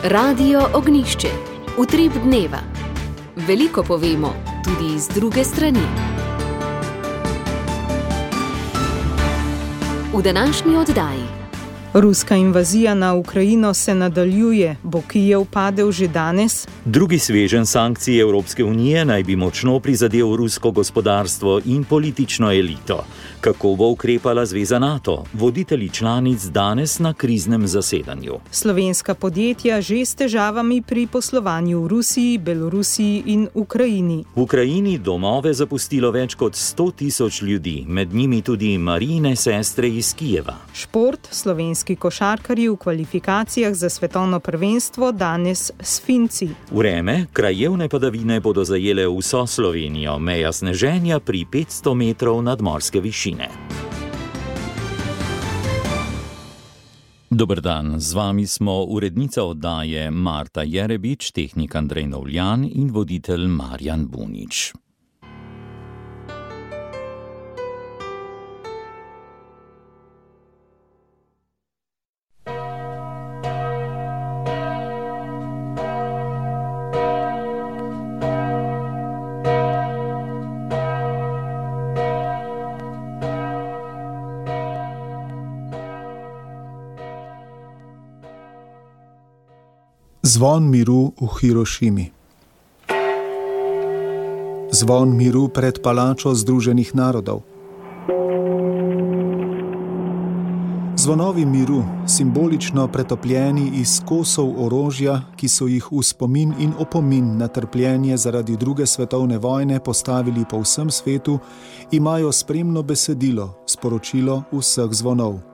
Radio Ognjišče. Utrip dneva. Veliko povemo, tudi z druge strani. V današnji oddaji. Ruska invazija na Ukrajino se nadaljuje. Bo Kijev padel že danes? Drugi sveženj sankcij Evropske unije naj bi močno prizadel rusko gospodarstvo in politično elito. Kako bo ukrepala zveza NATO? Voditelji članic danes na kriznem zasedanju. Slovenska podjetja že s težavami pri poslovanju v Rusiji, Belorusiji in Ukrajini. V Ukrajini domove zapustilo več kot 100.000 ljudi, med njimi tudi Marijine sestre iz Kijeva. Šport, slovenski košarkarji v kvalifikacijah za svetovno prvenstvo danes s Finci. Vreme, krajevne padavine bodo zajele vso Slovenijo, meja sneženja pri 500 metrov nadmorske višine. Dober dan, z vami smo urednica oddaje Marta Jerebič, tehnik Andrej Novljan in voditelj Marjan Bunič. Zvon miru v Hirošimi. Zvon miru pred palačo Združenih narodov. Zvonovi miru, simbolično pretopljeni iz kosov orožja, ki so jih v spomin in opomin na trpljenje zaradi druge svetovne vojne postavili po vsem svetu, imajo spremno besedilo, sporočilo vseh zvonov.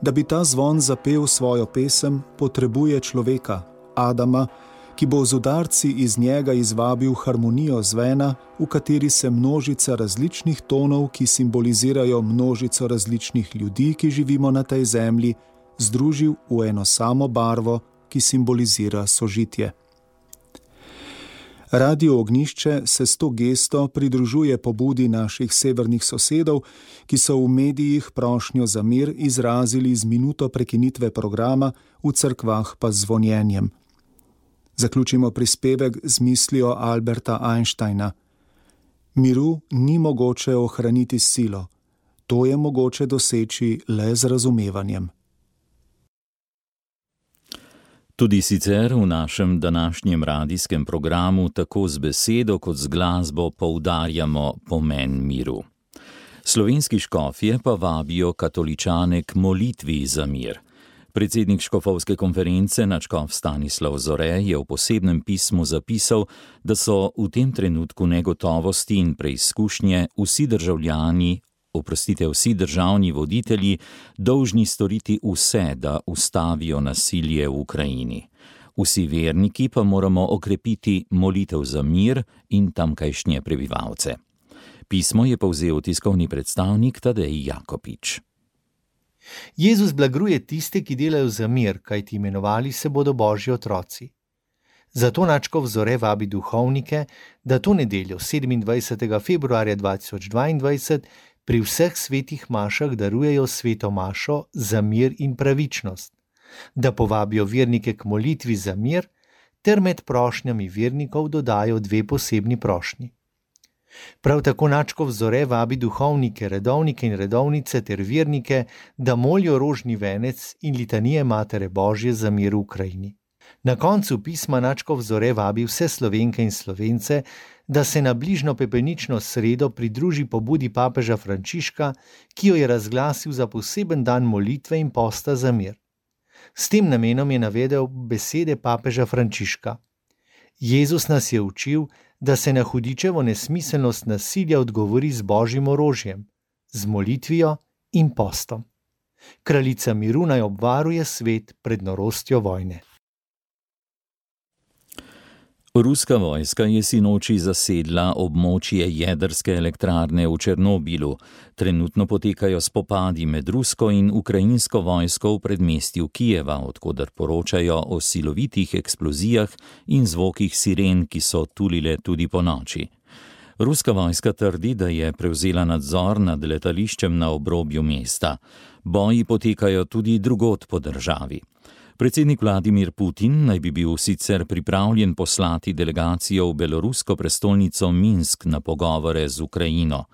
Da bi ta zvon zapel svojo pesem, potrebuje človeka, Adama, ki bo z udarci iz njega izvabil harmonijo zvena, v kateri se množica različnih tonov, ki simbolizirajo množico različnih ljudi, ki živimo na tej zemlji, združil v eno samo barvo, ki simbolizira sožitje. Radio Ognjišče se s to gesto pridružuje pobudi naših severnih sosedov, ki so v medijih prošnjo za mir izrazili z minuto prekinitve programa, v cerkvah pa z zvonjenjem. Zaključimo prispevek z mislijo Alberta Einsteina. Miru ni mogoče ohraniti s silo, to je mogoče doseči le z razumevanjem. Tudi sicer v našem današnjem radijskem programu tako z besedo kot z glasbo poudarjamo pomen miru. Slovenski škofje pa vabijo katoličane k molitvi za mir. Predsednik škofovske konference nadškof Stanislav Zore je v posebnem pismu zapisal, da so v tem trenutku negotovosti in preizkušnje vsi državni voditelji dolžni storiti vse, da ustavijo nasilje v Ukrajini. Vsi verniki pa moramo okrepiti molitev za mir in tamkajšnje prebivalce. Pismo je povzel tiskovni predstavnik Tadej Jakopič. Jezus blagruje tiste, ki delajo za mir, kajti imenovali se bodo Božji otroci. Zato nadškof Zore vabi duhovnike, da to nedeljo 27. februarja 2022 pri vseh svetih mašah darujejo sveto mašo za mir in pravičnost, da povabijo vernike k molitvi za mir, ter med prošnjami vernikov dodajo 2 posebni prošnji. Prav tako nadškof Zore vabi duhovnike, redovnike in redovnice ter vernike, da molijo rožni venec in litanije Matere Božje za mir v Ukrajini. Na koncu pisma nadškof Zore vabi vse Slovenke in Slovence, da se na bližnjo pepelnično sredo pridruži pobudi papeža Frančiška, ki jo je razglasil za poseben dan molitve in posta za mir. S tem namenom je navedel besede papeža Frančiška. Jezus nas je učil, da se na hudičevo nesmiselnost nasilja odgovori z Božjim orožjem, z molitvijo in postom. Kraljica miru naj obvaruje svet pred norostjo vojne. Ruska vojska je sinoči zasedla območje jedrske elektrarne v Černobilu. Trenutno potekajo spopadi med rusko in ukrajinsko vojsko v predmestju Kijeva, od koder poročajo o silovitih eksplozijah in zvokih siren, ki so tulile tudi ponoči. Ruska vojska trdi, da je prevzela nadzor nad letališčem na obrobju mesta. Boji potekajo tudi drugod po državi. Predsednik Vladimir Putin naj bi bil sicer pripravljen poslati delegacijo v belorusko prestolnico Minsk na pogovore z Ukrajino.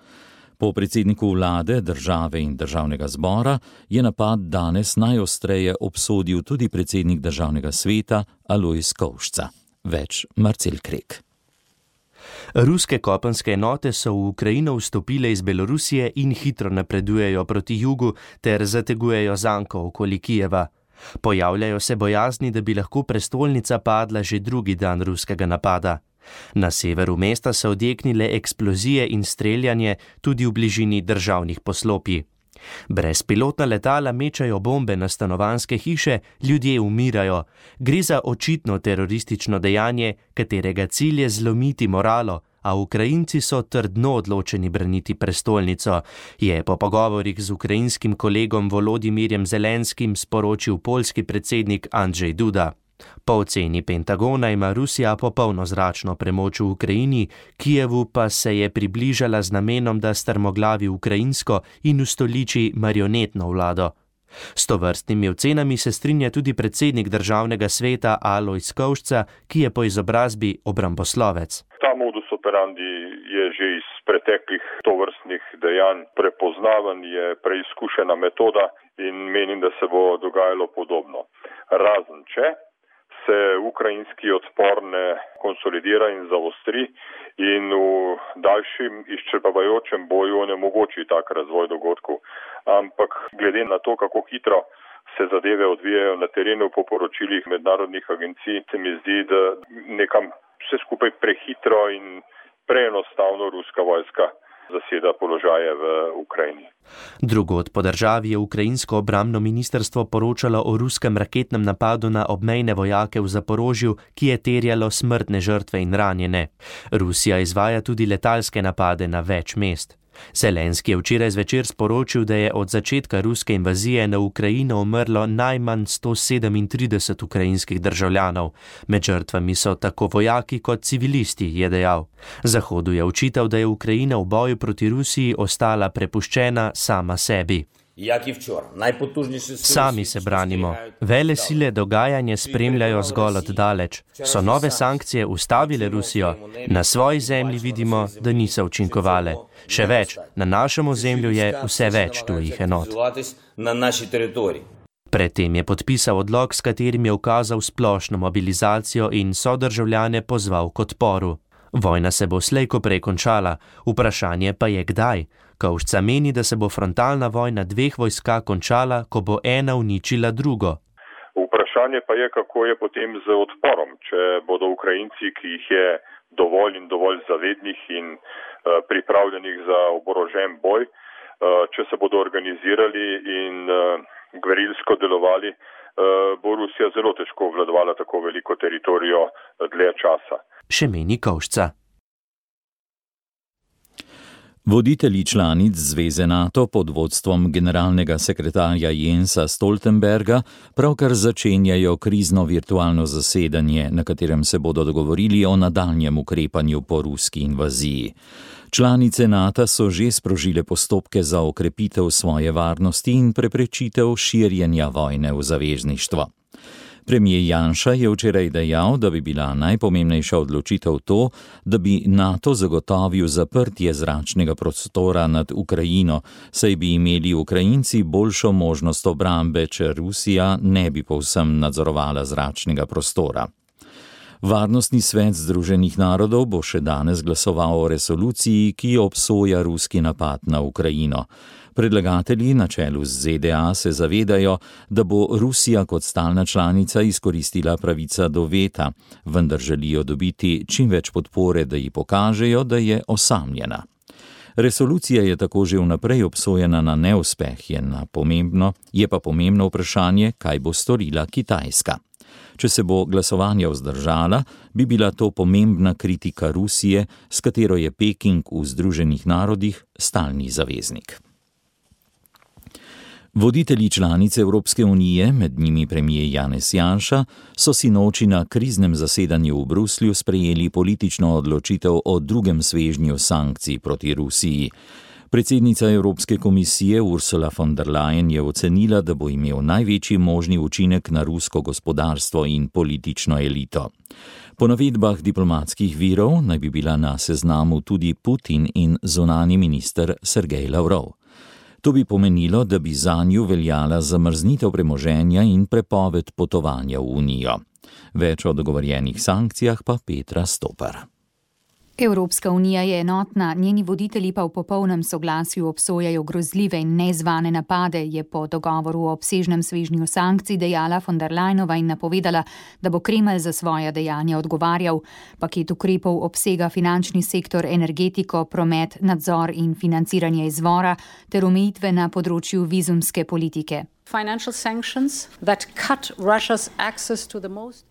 Po predsedniku vlade, države in državnega zbora je napad danes najostreje obsodil tudi predsednik državnega sveta Alojz Kovšca. Več Marcel Krek. Ruske kopenske enote so v Ukrajino vstopile iz Belorusije in hitro napredujejo proti jugu ter zategujejo zanko okoli Kijeva. Pojavljajo se bojazni, da bi lahko prestolnica padla že drugi dan ruskega napada. Na severu mesta so odjeknile eksplozije in streljanje tudi v bližini državnih poslopij. Brezpilotna letala mečajo bombe na stanovanjske hiše, ljudje umirajo. Gre za očitno teroristično dejanje, katerega cilj je zlomiti moralo, a Ukrajinci so trdno odločeni braniti prestolnico, je po pogovorih z ukrajinskim kolegom Volodimirjem Zelenskim sporočil poljski predsednik Andrzej Duda. Po oceni Pentagona ima Rusija popolno zračno premoč v Ukrajini, Kijevu pa se je približala z namenom, da strmoglavi ukrajinsko in ustoliči marionetno vlado. S tovrstnimi ocenami se strinja tudi predsednik državnega sveta Alojz Kovšca, ki je po izobrazbi obramboslovec. Ta modus operandi je že iz preteklih tovrstnih dejanj prepoznavan, je preizkušena metoda in menim, da se bo dogajalo podobno. Razen če se ukrajinski odpor ne konsolidira in zaostri in v daljšem izčrpavajočem boju onemogoči tak razvoj dogodkov. Ampak glede na to, kako hitro se zadeve odvijajo na terenu po poročilih mednarodnih agencij, se mi zdi, da nekam vse skupaj prehitro in preenostavno ruska vojska zaseda položaje v Ukrajini. Drugod po državi je ukrajinsko obrambno ministrstvo poročalo o ruskem raketnem napadu na obmejne vojake v Zaporožju, ki je terjalo smrtne žrtve in ranjene. Rusija izvaja tudi letalske napade na več mest. Zelenski je včeraj zvečer sporočil, da je od začetka ruske invazije na Ukrajino umrlo najmanj 137 ukrajinskih državljanov. Med žrtvami so tako vojaki kot civilisti, je dejal. Zahodu je očital, da je Ukrajina v boju proti Rusiji ostala prepuščena sama sebi. Sami se branimo. Vele sile dogajanje spremljajo zgolj od daleč. So nove sankcije ustavile Rusijo? Na svoji zemlji vidimo, da niso učinkovale. Še več, na našem ozemlju je vse več tujih enot. Predtem je podpisal odlok, s katerim je ukazal splošno mobilizacijo in sodržavljane pozval k odporu. Vojna se bo slej ko prej končala, vprašanje pa je kdaj. Kovšca meni, da se bo frontalna vojna dveh vojska končala, ko bo ena uničila drugo. Vprašanje pa je, kako je potem z odporom, če bodo Ukrajinci, ki jih je dovolj in dovolj zavednih in pripravljenih za oborožen boj, če se bodo organizirali in gverilsko delovali, bo Rusija zelo težko obvladovala tako veliko teritorijo dlje časa. Še meni Kovšca. Voditelji članic Zveze NATO pod vodstvom generalnega sekretarja Jensa Stoltenberga pravkar začenjajo krizno virtualno zasedanje, na katerem se bodo dogovorili o nadaljnjem ukrepanju po ruski invaziji. Članice NATO so že sprožile postopke za okrepitev svoje varnosti in preprečitev širjenja vojne v zavezništvo. Premijer Janša je včeraj dejal, da bi bila najpomembnejša odločitev to, da bi NATO zagotovil zaprtje zračnega prostora nad Ukrajino, saj bi imeli Ukrajinci boljšo možnost obrambe, če Rusija ne bi povsem nadzorovala zračnega prostora. Varnostni svet Združenih narodov bo še danes glasoval o resoluciji, ki obsoja ruski napad na Ukrajino. Predlagatelji na čelu z ZDA se zavedajo, da bo Rusija kot stalna članica izkoristila pravica do veta, vendar želijo dobiti čim več podpore, da ji pokažejo, da je osamljena. Resolucija je tako že vnaprej obsojena na neuspeh, je pa pomembno vprašanje, kaj bo storila Kitajska. Če se bo glasovanje vzdržala, bi bila to pomembna kritika Rusije, s katero je Peking v Združenih narodih stalni zaveznik. Voditelji članic Evropske unije, med njimi premier Janez Janša, so sinoči na kriznem zasedanju v Bruslju sprejeli politično odločitev o drugem svežnju sankcij proti Rusiji. Predsednica Evropske komisije Ursula von der Leyen je ocenila, da bo imel največji možni učinek na rusko gospodarstvo in politično elito. Po navedbah diplomatskih virov naj bi bila na seznamu tudi Putin in zunanji minister Sergej Lavrov. To bi pomenilo, da bi zanju veljala zamrznitev premoženja in prepoved potovanja v Unijo. Več o dogovorjenih sankcijah pa Petra Stopar. Evropska unija je enotna, njeni voditelji pa v popolnem soglasju obsojajo grozljive in nezvane napade, je po dogovoru o obsežnem svežnju sankcij dejala von der Leyenova in napovedala, da bo Kremelj za svoja dejanja odgovarjal. Paket ukrepov obsega finančni sektor, energetiko, promet, nadzor in financiranje izvora ter omejitve na področju vizumske politike.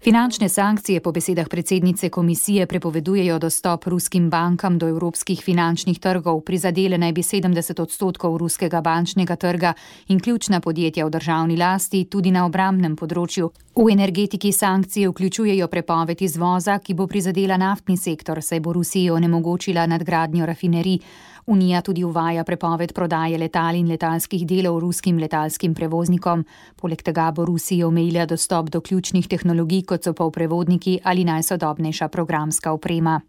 Finančne sankcije po besedah predsednice komisije prepovedujejo dostop ruskim bankam do evropskih finančnih trgov, prizadele naj bi 70% ruskega bančnega trga in ključna podjetja v državni lasti tudi na obrambnem področju. V energetiki sankcije vključujejo prepoved izvoza, ki bo prizadela naftni sektor, saj bo Rusiji onemogočila nadgradnjo rafinerij. Unija tudi uvaja prepoved prodaje letal in letalskih delov ruskim letalskim prevoznikom. Poleg tega bo Rusiji omejila dostop do ključnih tehnologij, kot so polprevodniki ali najsodobnejša programska oprema.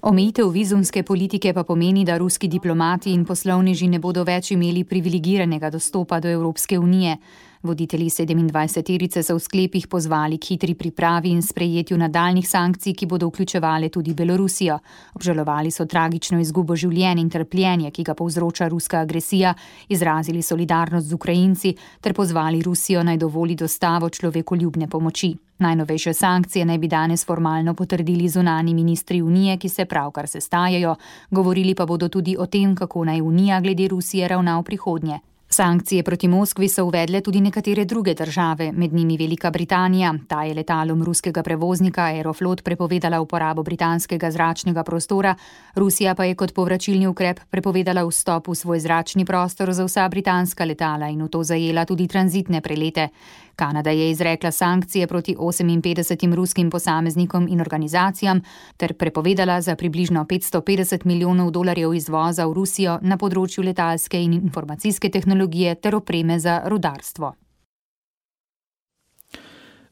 Omejitev vizumske politike pa pomeni, da ruski diplomati in poslovneži ne bodo več imeli privilegiranega dostopa do Evropske unije. Voditelji 27-terice so v sklepih pozvali k hitri pripravi in sprejetju nadaljnjih sankcij, ki bodo vključevale tudi Belorusijo. Obžalovali so tragično izgubo življenj in trpljenje, ki ga povzroča ruska agresija, izrazili solidarnost z Ukrajinci ter pozvali Rusijo naj dovoli dostavo človekoljubne pomoči. Najnovejše sankcije naj bi danes formalno potrdili zunanji ministri Unije, ki se pravkar sestajajo. Govorili pa bodo tudi o tem, kako naj Unija glede Rusije ravna v prihodnje. Sankcije proti Moskvi so uvedle tudi nekatere druge države, med njimi Velika Britanija. Ta je letalom ruskega prevoznika Aeroflot prepovedala uporabo britanskega zračnega prostora, Rusija pa je kot povračilni ukrep prepovedala vstop v svoj zračni prostor za vsa britanska letala in v to zajela tudi tranzitne prelete. Kanada je izrekla sankcije proti 58 ruskim posameznikom in organizacijam ter prepovedala za približno $550 milijonov izvoza v Rusijo na področju letalske in informacijske tehnologije ter opreme za rudarstvo.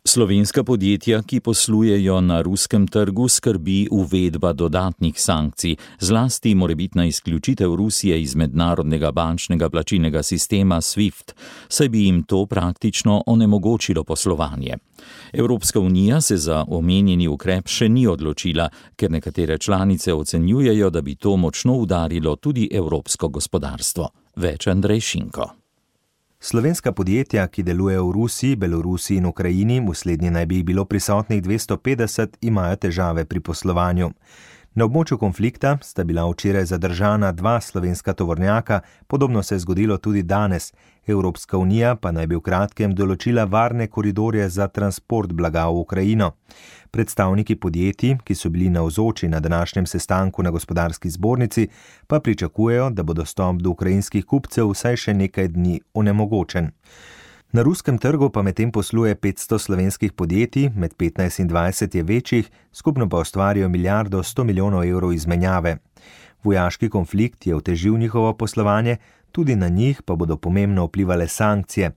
Slovenska podjetja, ki poslujejo na ruskem trgu, skrbi uvedba dodatnih sankcij, zlasti morebitna izključitev Rusije iz mednarodnega bančnega plačilnega sistema SWIFT, saj bi jim to praktično onemogočilo poslovanje. Evropska unija se za omenjeni ukrep še ni odločila, ker nekatere članice ocenjujejo, da bi to močno udarilo tudi evropsko gospodarstvo. Več Andrej Šinko. Slovenska podjetja, ki delujejo v Rusiji, Belorusiji in Ukrajini, v slednji naj bi jih bilo prisotnih 250, imajo težave pri poslovanju. Na območju konflikta sta bila včeraj zadržana 2 slovenska tovornjaka, podobno se je zgodilo tudi danes. Evropska unija pa naj bi v kratkem določila varne koridorje za transport blaga v Ukrajino. Predstavniki podjetij, ki so bili navzoči na današnjem sestanku na gospodarski zbornici, pa pričakujejo, da bo dostop do ukrajinskih kupcev vsaj še nekaj dni onemogočen. Na ruskem trgu pa medtem posluje 500 slovenskih podjetij, med 15 in 20 je večjih, skupno pa ustvarijo $1,100 milijonov izmenjave. Vojaški konflikt je otežil njihovo poslovanje, tudi na njih pa bodo pomembno vplivale sankcije.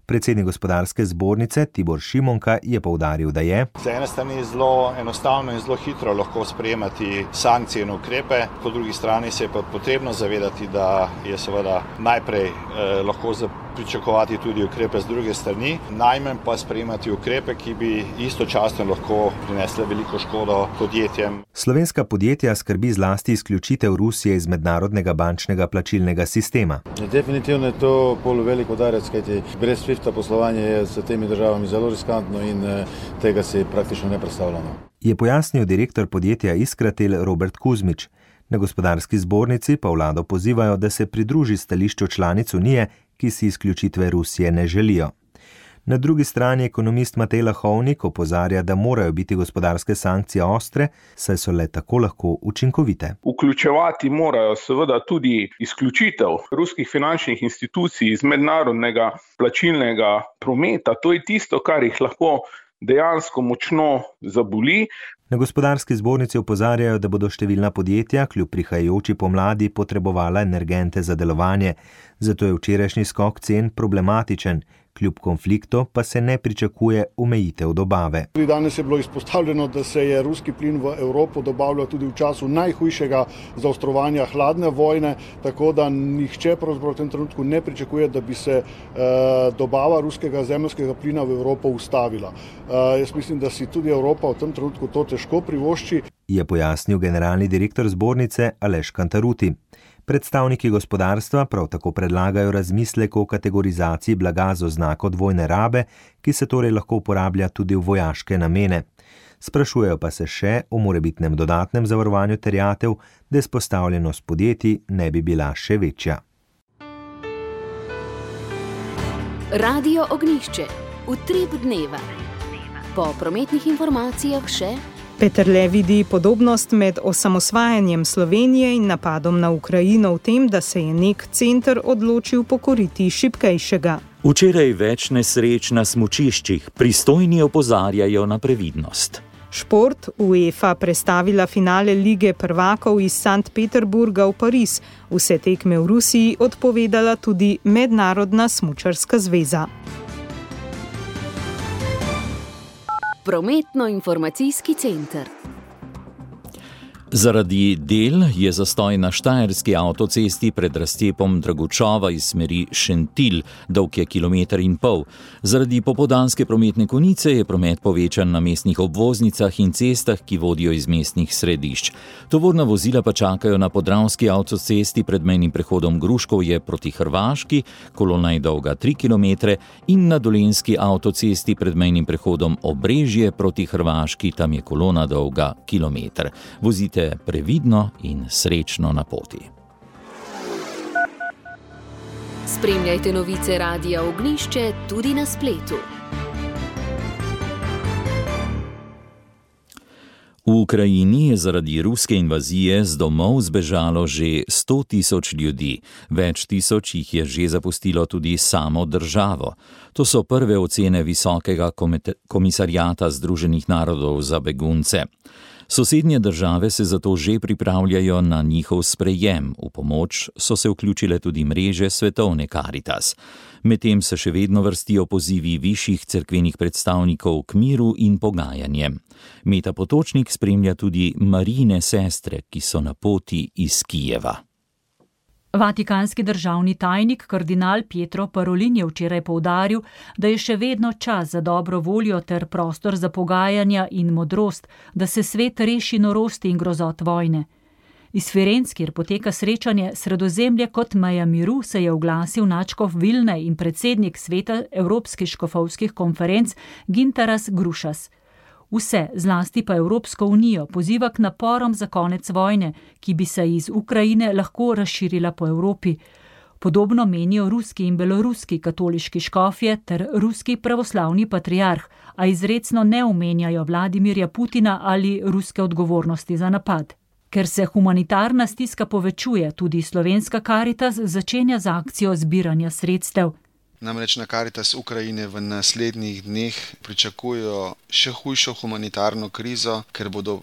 Predsednik gospodarske zbornice Tibor Šimonka je poudaril, da je za ene strani zelo enostavno in zelo hitro lahko sprejemati sankcije in ukrepe, po drugi strani se je pa potrebno zavedati, da je seveda najprej lahko pričakovati tudi ukrepe z druge strani, najmanj pa sprejemati ukrepe, ki bi istočasno lahko prinesle veliko škodo podjetjem. Slovenska podjetja skrbi zlasti izključitev Rusije iz mednarodnega bančnega plačilnega sistema. Definitivno je to pol velik udarec, kajti brez SWIFT-a poslovanje je s temi državami zelo riskantno in tega si praktično ne predstavljamo. Je pojasnil direktor podjetja Iskratel Robert Kuzmič. Na gospodarski zbornici pa vlado pozivajo, da se pridruži stališču članic Unije, ki si izključitve Rusije ne želijo. Na drugi strani ekonomist Matej Lahovnik opozarja, da morajo biti gospodarske sankcije ostre, saj so le tako lahko učinkovite. Vključevati morajo seveda tudi izključitev ruskih finančnih institucij iz mednarodnega plačilnega prometa. To je tisto, kar jih lahko dejansko močno zaboli. Na gospodarski zbornici opozarjajo, da bodo številna podjetja kljub prihajajoči pomladi potrebovala energente za delovanje, zato je včerajšnji skok cen problematičen. Kljub konfliktu pa se ne pričakuje omejitev dobave. Danes je bilo izpostavljeno, da se je ruski plin v Evropo dobavljal tudi v času najhujšega zaostrovanja hladne vojne, tako da nihče pravzaprav v tem trenutku ne pričakuje, da bi se dobava ruskega zemeljskega plina v Evropo ustavila. Jaz mislim, da si tudi Evropa v tem trenutku to težko privošči. Je pojasnil generalni direktor zbornice Aleš Kantaruti. Predstavniki gospodarstva prav tako predlagajo razmislek o kategorizaciji blaga z oznako dvojne rabe, ki se torej lahko uporablja tudi v vojaške namene. Sprašujejo pa se še o morebitnem dodatnem zavarovanju terjatev, da izpostavljenost podjetij ne bi bila še večja. Radio Ognjišče. Utrip dneva. Po prometnih informacijah še Peterle vidi podobnost med osamosvajanjem Slovenije in napadom na Ukrajino v tem, da se je nek center odločil pokoriti šibkejšega. Včeraj več nesreč na smučiščih, pristojni opozarjajo na previdnost. Šport, UEFA prestavila finale Lige prvakov iz Sankt Peterburga v Pariz. Vse tekme v Rusiji odpovedala tudi Mednarodna smučarska zveza. Prometno-informacijski center. Zaradi del je zastoj na štajerski avtocesti pred razcepom Dragočova iz smeri Šentilj, dolg je 1,5 km. Zaradi popoldanske prometne konice je promet povečan na mestnih obvoznicah in cestah, ki vodijo iz mestnih središč. Tovorna vozila pa čakajo na podravski avtocesti pred mejnim prehodom Gruškovje proti Hrvaški, kolona je dolga 3 km, in na dolenjski avtocesti pred mejnim prehodom Obrežje proti Hrvaški, tam je kolona dolga 1 km. Vozite previdno in srečno na poti. Spremljajte novice Radia Ognjišče tudi na spletu. V Ukrajini je zaradi ruske invazije z domov zbežalo že 100.000 ljudi. Več tisoč jih je že zapustilo tudi samo državo. To so prve ocene Visokega komisarjata Združenih narodov za begunce. Sosednje države se zato že pripravljajo na njihov sprejem. V pomoč so se vključile tudi mreže Svetovne Karitas. Medtem se še vedno vrstijo pozivi višjih cerkvenih predstavnikov k miru in pogajanjem. Meta Potočnik spremlja tudi Marijine sestre, ki so na poti iz Kijeva. Vatikanski državni tajnik kardinal Pietro Parolin je včeraj poudaril, da je še vedno čas za dobro voljo ter prostor za pogajanja in modrost, da se svet reši norosti in grozot vojne. Iz Firenc, kjer poteka srečanje Sredozemlje kot meja miru, se je oglasil nadškof Vilne in predsednik sveta Evropskih škofovskih konferenc Gintaras Grušas. Vse, zlasti pa Evropsko unijo, poziva k naporom za konec vojne, ki bi se iz Ukrajine lahko razširila po Evropi. Podobno menijo ruski in beloruski katoliški škofje ter ruski pravoslavni patriarh, a izrecno ne omenjajo Vladimirja Putina ali ruske odgovornosti za napad. Ker se humanitarna stiska povečuje, tudi Slovenska Karitas začenja z akcijo zbiranja sredstev. Namreč na Karitas Ukrajine v naslednjih dneh pričakujejo še hujšo humanitarno krizo, ker bodo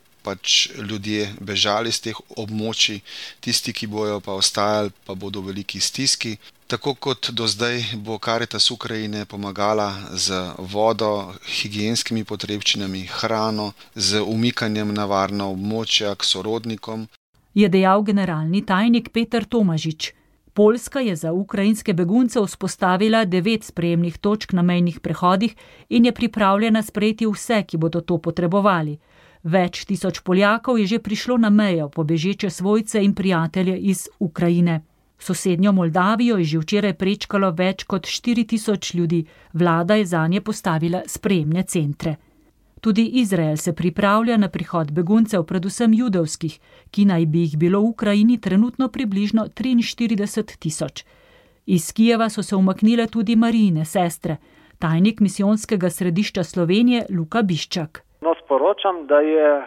ljudje bežali z teh območij, tisti, ki bojo pa ostajali, pa bodo v veliki stiski. Tako kot do zdaj bo Karitas Ukrajine pomagala z vodo, higienskimi potrebščinami, hrano, z umikanjem na varna območja k sorodnikom. Je dejal generalni tajnik Peter Tomažič. Poljska je za ukrajinske begunce vzpostavila 9 sprejemnih točk na mejnih prehodih in je pripravljena sprejeti vse, ki bodo to potrebovali. Več tisoč Poljakov je že prišlo na mejo po bežeče svojce in prijatelje iz Ukrajine. Sosednjo Moldavijo je že včeraj prečkalo več kot 4.000 ljudi. Vlada je zanje postavila sprejemne centre. Tudi Izrael se pripravlja na prihod beguncev, predvsem judovskih, ki naj bi jih bilo v Ukrajini trenutno približno 43.000. Iz Kijeva so se umaknile tudi Marijine sestre, tajnik misijonskega središča Slovenije Luka Biščak. Sporočam, da je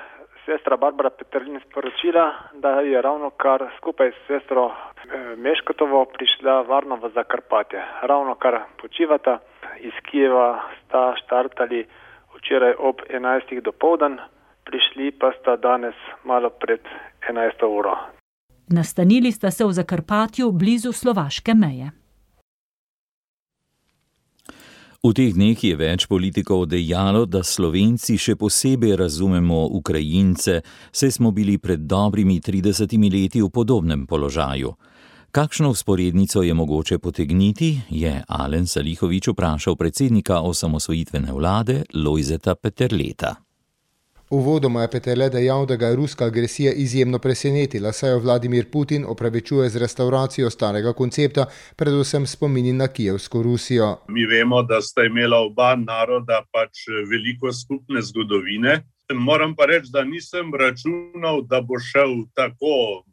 sestra Barbara Peterlin sporočila, da je ravno kar skupaj s sestro Meškotovo prišla varno v Zakarpatje. Ravno kar počivata. Iz Kijeva sta štartali včeraj ob 11. dopoldan prišli pa sta danes malo pred 11. uro. Nastanili sta se v Zakarpatju blizu slovaške meje. V teh dneh je več politikov dejalo, da Slovenci še posebej razumemo Ukrajince, saj smo bili pred dobrimi 30 leti v podobnem položaju. Kakšno vzporednico je mogoče potegniti, je Alen Salihovič vprašal predsednika osamosvojitvene vlade Lojzeta Peterleta. Uvodoma je Peterle dejal, da ga je ruska agresija izjemno presenetila, saj jo Vladimir Putin opravičuje z restauracijo starega koncepta, predvsem spomini na Kijevsko Rusijo. Mi vemo, da sta imela oba naroda pač veliko skupne zgodovine. Moram pa reči, da nisem računal, da bo šel tako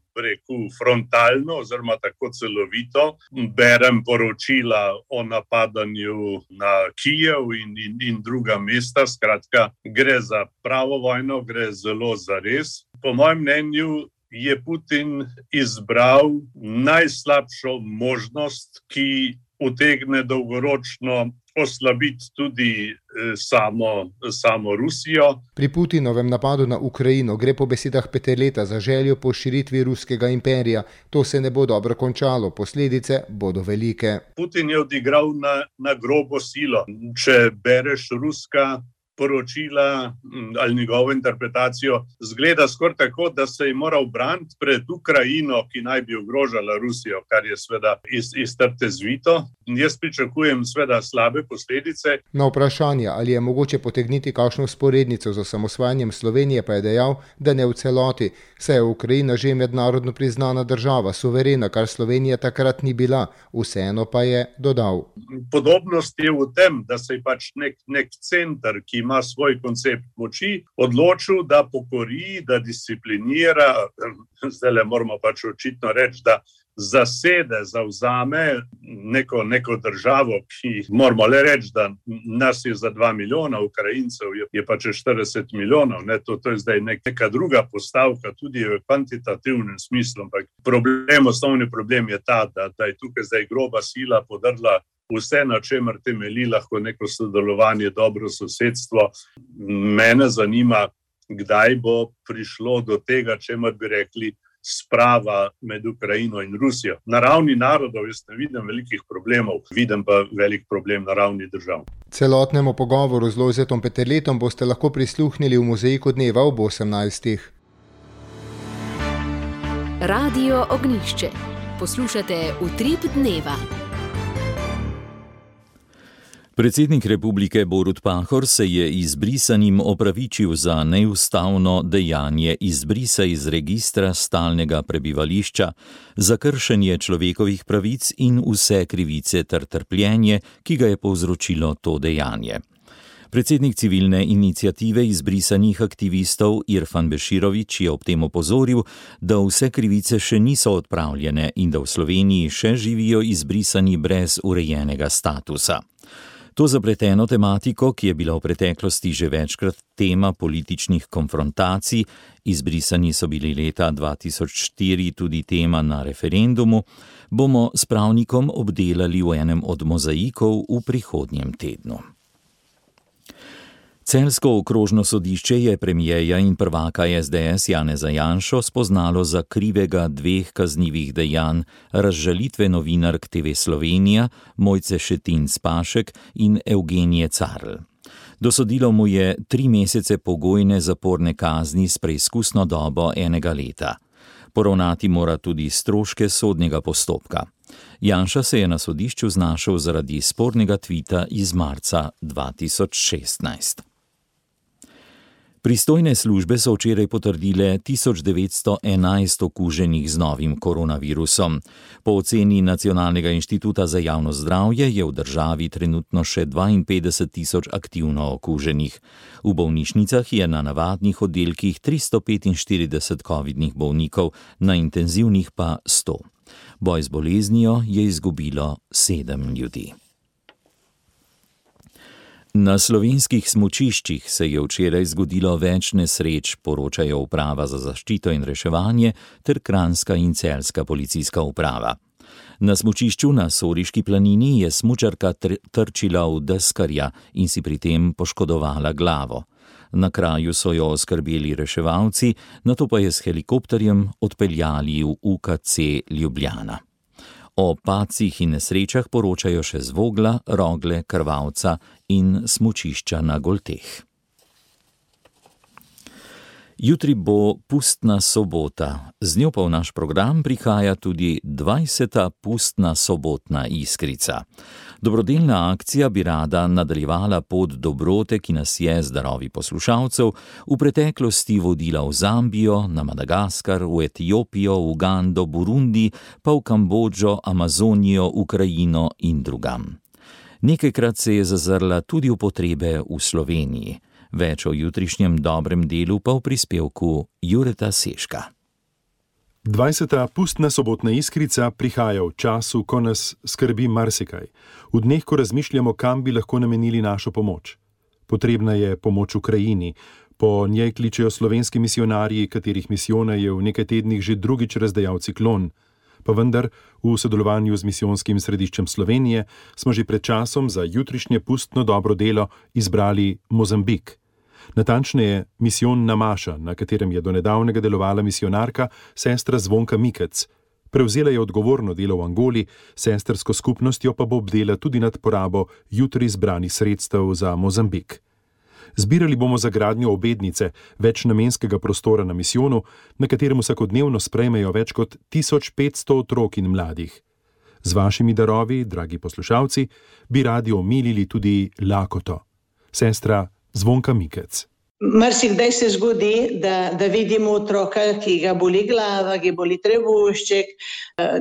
frontalno oziroma tako celovito. Berem poročila o napadanju na Kijev in druga mesta. Skratka, gre za pravo vojno, gre zelo zares. Po mojem mnenju je Putin izbral najslabšo možnost, ki utegne dolgoročno oslabiti tudi samo Rusijo. Pri Putinovem napadu na Ukrajino gre po besedah Peterleta za željo po širitvi ruskega imperija. To se ne bo dobro končalo, posledice bodo velike. Putin je odigral na grobo silo. Če bereš ruska poročila ali njegovo interpretacijo, zgleda skoraj tako, da se je moral braniti pred Ukrajino, ki naj bi ogrožala Rusijo, kar je sveda iz trte zvito. Jaz pričakujem sveda slabe posledice. Na vprašanje, ali je mogoče potegniti kakšno vzporednico z osamosvajanjem Slovenije, pa je dejal, da ne v celoti, saj je Ukrajina že mednarodno priznana država, suverena, kar Slovenija takrat ni bila. Vseeno pa je dodal. Podobnost je v tem, da se je pač nek center, ki ima svoj koncept moči, odločil, da pokori, da disciplinira, zdaj le moramo pač očitno reči, da zasede, zavzame neko državo, ki moramo le reči, da nas je za 2 milijona Ukrajincev, je pa če 40 milijonov. To je zdaj neka druga postavka, tudi v kvantitativnem smislu. Ampak osnovni problem je ta, da je tukaj zdaj groba sila podrla vse, na čemer temelji lahko neko sodelovanje, dobro sosedstvo. Mene zanima, kdaj bo prišlo do tega, čemer bi rekli, sprava med Ukrajino in Rusijo. Na ravni narodov jaz ne vidim velikih problemov, vidim pa velik problem na ravni držav. Celotnemu pogovoru z Lojzetom Peterletom boste lahko prisluhnili v Mozaiku dneva ob 18. Radio Ognjišče. Poslušate Utrip dneva. Predsednik republike Borut Pahor se je izbrisanim opravičil za neustavno dejanje izbrisa iz registra stalnega prebivališča, za kršenje človekovih pravic in vse krivice ter trpljenje, ki ga je povzročilo to dejanje. Predsednik civilne iniciative izbrisanih aktivistov Irfan Beširović je ob tem opozoril, da vse krivice še niso odpravljene in da v Sloveniji še živijo izbrisani brez urejenega statusa. To zapleteno tematiko, ki je bila v preteklosti že večkrat tema političnih konfrontacij, izbrisani so bili leta 2004 tudi tema na referendumu, bomo s pravnikom obdelali v enem od mozaikov v prihodnjem tednu. Celjsko okrožno sodišče je premierja in prvaka SDS Janeza Janšo spoznalo za krivega 2 kaznivih dejanj razžalitve novinark TV Slovenija Mojce Šetinc Pašek in Evgenije Carl. Dosodilo mu je 3 mesece pogojne zaporne kazni s preizkusno dobo 1 leta. Poravnati mora tudi stroške sodnega postopka. Janša se je na sodišču znašel zaradi spornega tvita iz marca 2016. Pristojne službe so včeraj potrdile 1911 okuženih z novim koronavirusom. Po oceni Nacionalnega inštituta za javno zdravje je v državi trenutno še 52.000 aktivno okuženih. V bolnišnicah je na navadnih oddelkih 345 covidnih bolnikov, na intenzivnih pa 100. Boj z boleznijo je izgubilo 7 ljudi. Na slovenskih smučiščih se je včeraj zgodilo več nesreč, poročajo Uprava za zaščito in reševanje ter Kranjska in Celjska policijska uprava. Na smučišču na Soriški planini je smučarka trčila v deskarja in si pri tem poškodovala glavo. Na kraju so jo oskrbeli reševalci, nato pa je s helikopterjem odpeljali v UKC Ljubljana. O padcih in nesrečah poročajo še z Vogla, Rogle, Krvavca in smučišča na Golteh. Jutri bo pustna sobota, z njo pa v naš program prihaja tudi 20. pustna sobotna iskrica. Dobrodelna akcija bi rada nadaljevala pot dobrote, ki nas je z darovi poslušalcev v preteklosti vodila v Zambijo, na Madagaskar, v Etiopijo, Ugando, Burundi, pa v Kambodžo, Amazonijo, Ukrajino in drugam. Nekajkrat se je zazrla tudi v potrebe v Sloveniji. Več o jutrišnjem dobrem delu pa v prispevku Jureta Seška. 20. pustna sobotna iskrica prihaja v času, ko nas skrbi marsikaj. V dneh, ko razmišljamo, kam bi lahko namenili našo pomoč. Potrebna je pomoč Ukrajini. Po njej kličejo slovenski misijonarji, katerih misijone je v nekaj tednih že drugič razdejal ciklon. Pa vendar, v sodelovanju z misijonskim središčem Slovenije smo že pred časom za jutrišnje pustno dobro delo izbrali Mozambik. Natančneje, misijon Namaša, na katerem je do nedavnega delovala misijonarka sestra Zvonka Mikec. Prevzela je odgovorno delo v Angoli, sestrsko skupnostjo pa bo obdela tudi nad porabo jutri zbranih sredstev za Mozambik. Zbirali bomo za gradnjo obednice, večnamenskega prostora na misijonu, na katerem vsakodnevno sprejmejo več kot 1500 otrok in mladih. Z vašimi darovi, dragi poslušalci, bi radi omilili tudi lakoto. Sestra Zvonka Mikec. Marsikdaj se zgodi, da vidimo otroka, ki ga boli glava, ki boli trebušček,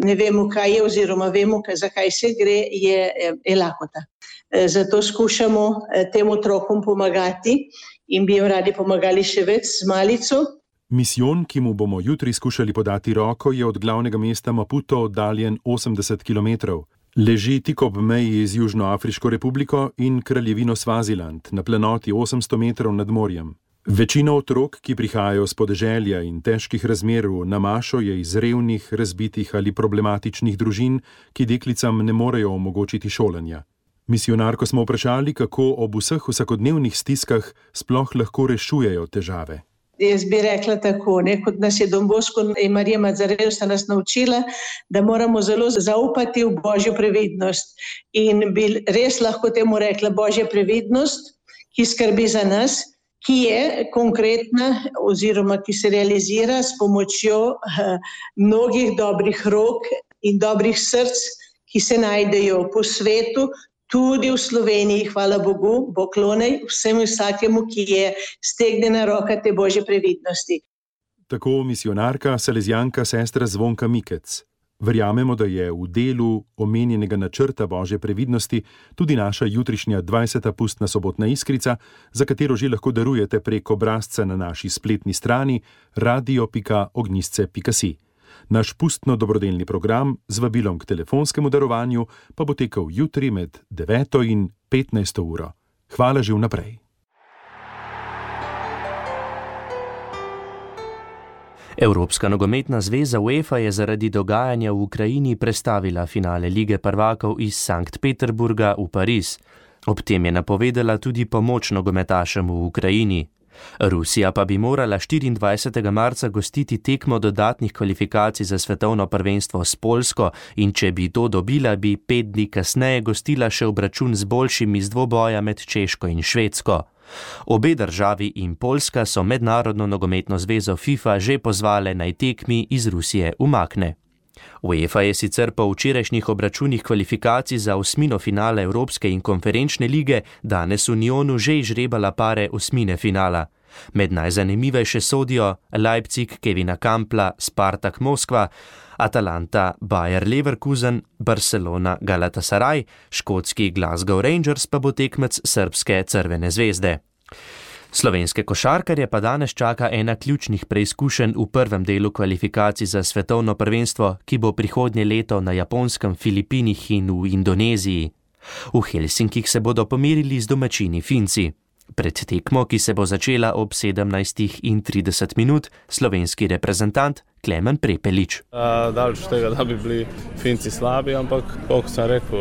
ne vemo, kaj je, oziroma vemo, zakaj se gre, je lakota. Zato skušamo tem otrokom pomagati in bi jim radi pomagali še več z malico. Misijon, ki mu bomo jutri skušali podati roko, je od glavnega mesta Maputo oddaljen 80 kilometrov. Leži tik ob meji z Južnoafriško republiko in kraljevino Svaziland, na planoti 800 metrov nad morjem. Večina otrok, ki prihajajo z podeželja in težkih razmer v Namašo, je iz revnih, razbitih ali problematičnih družin, ki deklicam ne morejo omogočiti šolanja. Misijonarko smo vprašali, kako ob vseh vsakodnevnih stiskah sploh lahko rešujejo težave. Jaz bi rekla tako, kot nas je Don Bosco in Marija Mazarel sta nas naučila, da moramo zelo zaupati v Božjo previdnost. In bi res lahko temu rekla Božja previdnost, ki skrbi za nas, ki je konkretna oziroma ki se realizira s pomočjo mnogih dobrih rok in dobrih src, ki se najdejo po svetu, tudi v Sloveniji, hvala Bogu, poklonej vsemu vsakemu, ki je stegnjena roka te Božje previdnosti. Tako misijonarka, salezijanka sestra Zvonka Mikec. Verjamemo, da je v delu omenjenega načrta Božje previdnosti tudi naša jutrišnja 20. pustna sobotna iskrica, za katero že lahko darujete prek obrazca na naši spletni strani radio.ognjisce.si. Naš pustno dobrodelni program z vabilom k telefonskemu darovanju pa bo tekel jutri med 9. in 15. uro. Hvala že vnaprej. Evropska nogometna zveza UEFA je zaradi dogajanja v Ukrajini prestavila finale Lige prvakov iz Sankt Peterburga v Pariz. Ob tem je napovedala tudi pomoč nogometašem v Ukrajini. Rusija pa bi morala 24. marca gostiti tekmo dodatnih kvalifikacij za svetovno prvenstvo s Poljsko in če bi to dobila, bi 5 dni kasneje gostila še obračun z boljšim iz dvoboja med Češko in Švedsko. Obe državi in Poljska so mednarodno nogometno zvezo FIFA že pozvale naj tekmi iz Rusije umakne. UEFA je sicer po včerajšnjih obračunih kvalifikacij za osmino finale Evropske in konferenčne lige danes v Nyonu že izžrebala pare osmine finala. Med najzanimivejše sodijo Leipzig Kevina Kampla, Spartak Moskva, Atalanta Bayer Leverkusen, Barcelona Galatasaray, škotski Glasgow Rangers pa bo tekmec srbske Crvene zvezde. Slovenske košarkarje pa danes čaka ena ključnih preizkušenj v prvem delu kvalifikacij za svetovno prvenstvo, ki bo prihodnje leto na Japonskem, Filipinih in v Indoneziji. V Helsinkih se bodo pomerili z domačini Finci. Pred tekmo, ki se bo začela ob 17:30, slovenski reprezentant Klemen Prepelič. Daleč tega, da bi bili Finci slabi, ampak, kot sem rekel,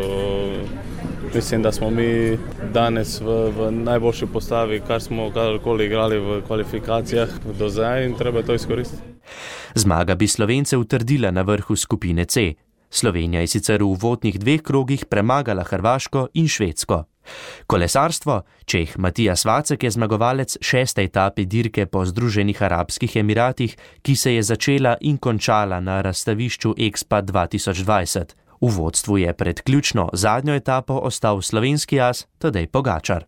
Mislim, da smo mi danes v najboljši postavi, kar smo kadarkoli igrali v kvalifikacijah do zdaj in treba to izkoristiti. Zmaga bi Slovence utrdila na vrhu skupine C. Slovenija je sicer v uvodnih 2 krogih premagala Hrvaško in Švedsko. Kolesarstvo, Čeh Matijas Vacek je zmagovalec 6. etape dirke po Združenih arabskih emiratih, ki se je začela in končala na razstavišču Expa 2020. V vodstvu je pred ključno zadnjo etapo ostal slovenski as Tadej Pogačar.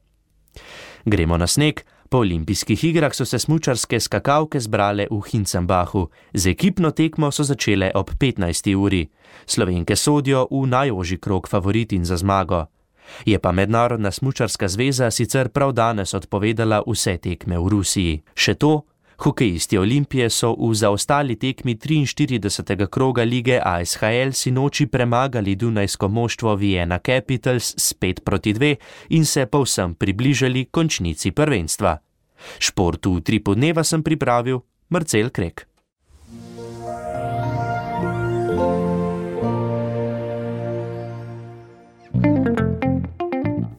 Gremo na sneg. Po olimpijskih igrah so se smučarske skakalke zbrale v Hinzenbachu. Z ekipno tekmo so začele ob 15. uri. Slovenke sodijo v najožji krog favoritin za zmago. Je pa Mednarodna smučarska zveza sicer prav danes odpovedala vse tekme v Rusiji. Še to, hokejisti Olimpije so v zaostali tekmi 43. kroga lige ASHL sinoči premagali dunajsko moštvo Vienna Capitals s 5-2 in se povsem približali končnici prvenstva. Šport v Utripu dneva sem pripravil Marcel Krek.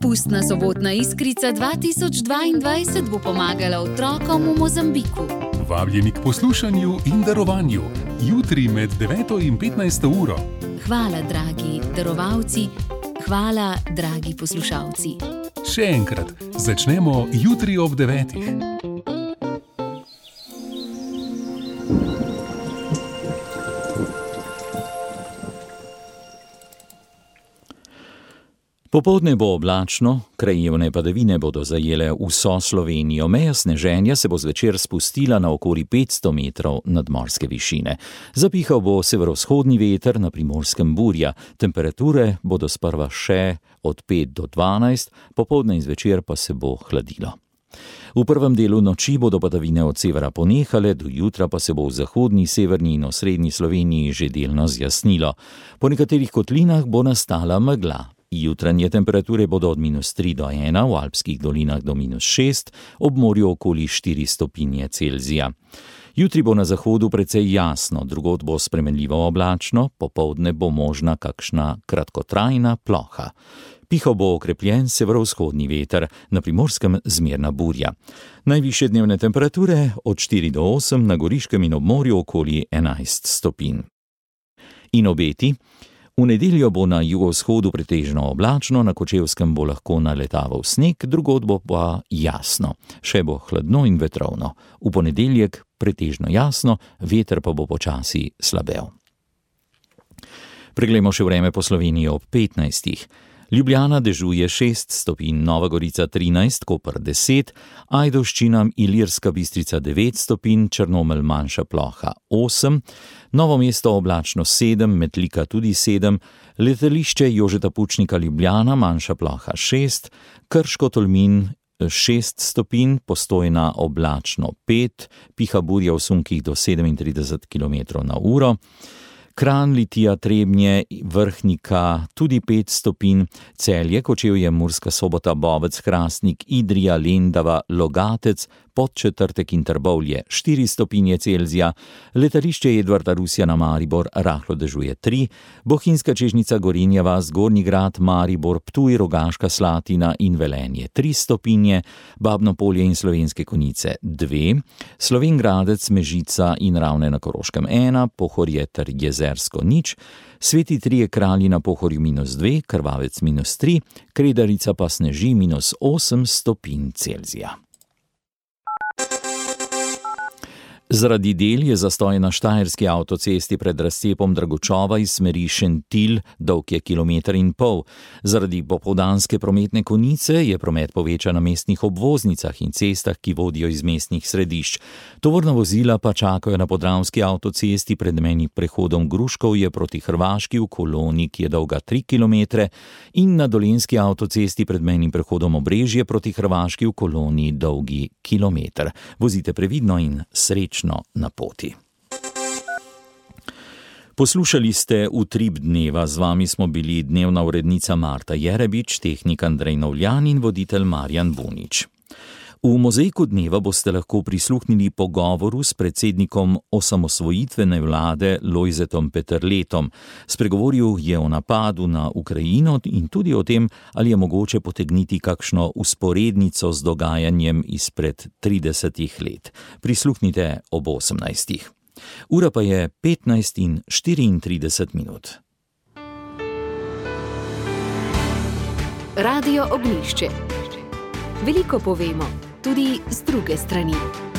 Pustna sobotna iskrica 2022 bo pomagala otrokom v Mozambiku. Vabljeni k poslušanju in darovanju. Jutri med 9 in 15 uro. Hvala, dragi darovalci. Hvala, dragi poslušalci. Še enkrat, začnemo jutri ob 9. Popoldne bo oblačno, krajevne padavine bodo zajele vso Slovenijo. Meja sneženja se bo zvečer spustila na okoli 500 metrov nadmorske višine. Zapihal bo severovzhodni veter, na Primorskem burja. Temperature bodo sprva še od 5 do 12, popoldne in zvečer pa se bo hladilo. V prvem delu noči bodo padavine od severa ponehale, do jutra pa se bo v zahodni, severni in osrednji Sloveniji že delno zjasnilo. Po nekaterih kotlinah bo nastala megla. Jutranje temperature bodo od -3 do 1, v alpskih dolinah do -6, ob morju okoli 4 stopinje Celzija. Jutri bo na zahodu precej jasno, drugod bo spremenljivo oblačno, popoldne bo možna kakšna kratkotrajna ploha. Pihal bo okrepljen severovzhodni veter, na Primorskem zmerna burja. Najvišje dnevne temperature od 4 do 8, na Goriškem in ob morju okoli 11 stopinj. In obeti. V nedeljo bo na jugovzhodu pretežno oblačno, na Kočevskem bo lahko naletaval sneg, drugod bo pa jasno. Še bo hladno in vetrovno. V ponedeljek pretežno jasno, veter pa bo počasi slabel. Preglejmo še vreme po Sloveniji ob 15. Ljubljana dežuje 6 stopinj, Nova Gorica 13, Koper 10, Ajdovščina, Ilirska Bistrica 9 stopinj, Črnomelj manjša ploha 8, Novo mesto oblačno 7, Metlika tudi 7, letališče Jožeta Pučnika Ljubljana manjša ploha 6, Krško Tolmin 6 stopinj, Postojna oblačno 5, piha burja v sunkih do 37 km/h, Kranj, Litija, Trebnje, Vrhnika tudi 5 stopinj, Celje, Kočevje, Murska Sobota, Bovec, Hrastnik, Idrija, Lendava, Logatec, Podčetrtek in Trbovlje 4 stopinje Celzija, letališče Edvarda Rusjana Maribor rahlo dežuje 3, Bohinjska Čežnica, Gorenja vas, Gornji Grad, Maribor, Ptuj, Rogaška Slatina in Velenje 3 stopinje, Babno Polje in Slovenske Konjice 2, Slovenj Gradec, Mežica in Ravne na Koroškem 1, Pohorje ter Jezersko 0, Sveti Trije Kralji na Pohorju -2, Krvavec -3, Kredarica pa sneži -8 stopinj Celzija. Zaradi del je zastoj na štajerski avtocesti pred razcepom Dragočova iz smeri Šentilj, dolg je 1,5 km. Zaradi popoldanske prometne konice je promet povečan na mestnih obvoznicah in cestah, ki vodijo iz mestnih središč. Tovorna vozila pa čakajo na podravski avtocesti pred mejnim prehodom Gruškovje proti Hrvaški v koloni, ki je dolga 3 km, in na dolenjski avtocesti pred mejnim prehodom Obrežje proti Hrvaški v koloni dolgi kilometer. Vozite previdno in srečno na poti. Poslušali ste Utrip dneva, z vami smo bili dnevna urednica Marta Jerebič, tehnik Andrej Novljan in voditelj Marjan Bunič. V Mozaiku dneva boste lahko prisluhnili pogovoru s predsednikom osamosvojitvene vlade Lojzetom Peterletom. Spregovoril je o napadu na Ukrajino in tudi o tem, ali je mogoče potegniti kakšno usporednico z dogajanjem izpred 30 let. Prisluhnite ob 18. Ura pa je 15:34. Radio Ognjišče. Veliko povemo, tudi z druge strani.